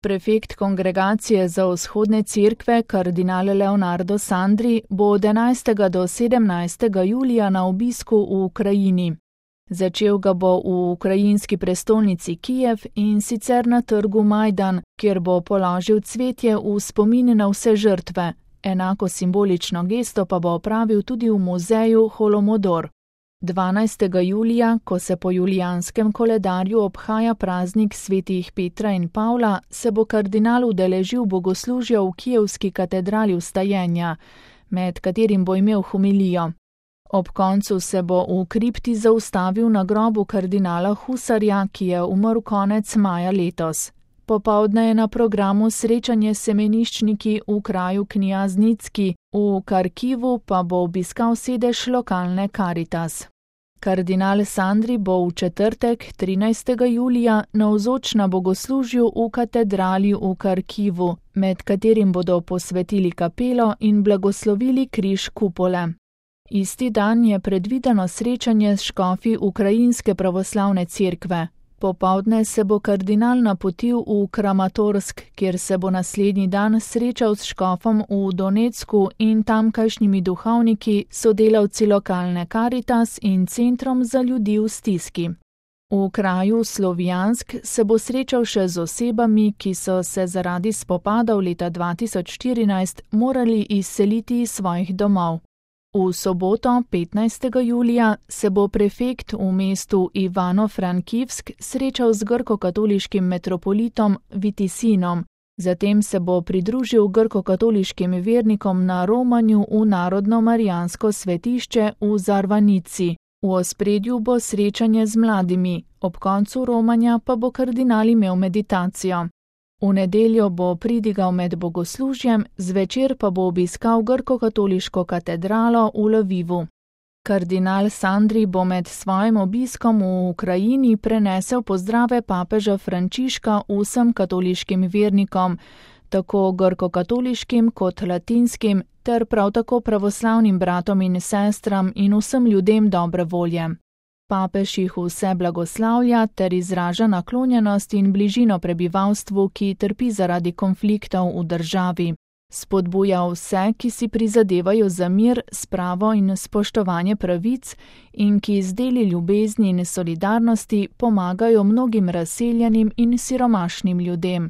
Prefekt Kongregacije za vzhodne cerkve, kardinal Leonardo Sandri, bo od 11. do 17. julija na obisku v Ukrajini. Začel ga bo v ukrajinski prestolnici Kijev in sicer na trgu Majdan, kjer bo položil cvetje v spomin na vse žrtve. Enako simbolično gesto pa bo opravil tudi v muzeju Holomodor. 12. julija, ko se po julijanskem koledarju obhaja praznik svetih Petra in Pavla, se bo kardinal udeležil bogoslužja v kijevski katedrali Vstajenja, med katerim bo imel homilijo. Ob koncu se bo v kripti zaustavil na grobu kardinala Husarja, ki je umrl konec maja letos. Popoldne je na programu srečanje s semeniščniki v kraju Knjaznicki, v Karkivu pa bo obiskal sedež lokalne Karitas. Kardinal Sandri bo v četrtek, 13. julija, navzoč na bogoslužju v katedrali v Karkivu, med katerim bodo posvetili kapelo in blagoslovili križ kupole. Isti dan je predvideno srečanje s škofi Ukrajinske pravoslavne cerkve. Popoldne se bo kardinal napotil v Kramatorsk, kjer se bo naslednji dan srečal s škofom v Donecku in tamkajšnjimi duhovniki, sodelavci lokalne Karitas in Centrom za ljudi v stiski. V kraju Slovjansk se bo srečal še z osebami, ki so se zaradi spopadov leta 2014 morali izseliti iz svojih domov. V soboto, 15. julija, se bo prefekt v mestu Ivano-Frankivsk srečal z grkokatoliškim metropolitom Vitisinom, zatem se bo pridružil grkokatoliškim vernikom na romanju v Narodno marijansko svetišče v Zarvanici. V ospredju bo srečanje z mladimi, ob koncu romanja pa bo kardinal imel meditacijo. V nedeljo bo pridigal med bogoslužjem, zvečer pa bo obiskal grkokatoliško katedralo v Lvivu. Kardinal Sandri bo med svojim obiskom v Ukrajini prenesel pozdrave papeža Frančiška vsem katoliškim vernikom, tako grkokatoliškim kot latinskim, ter prav tako pravoslavnim bratom in sestram in vsem ljudem dobre volje. Papež jih vse blagoslavlja ter izraža naklonjenost in bližino prebivalstvu, ki trpi zaradi konfliktov v državi. Spodbuja vse, ki si prizadevajo za mir, spravo in spoštovanje pravic in ki z deli ljubezni in solidarnosti pomagajo mnogim razseljenim in siromašnim ljudem.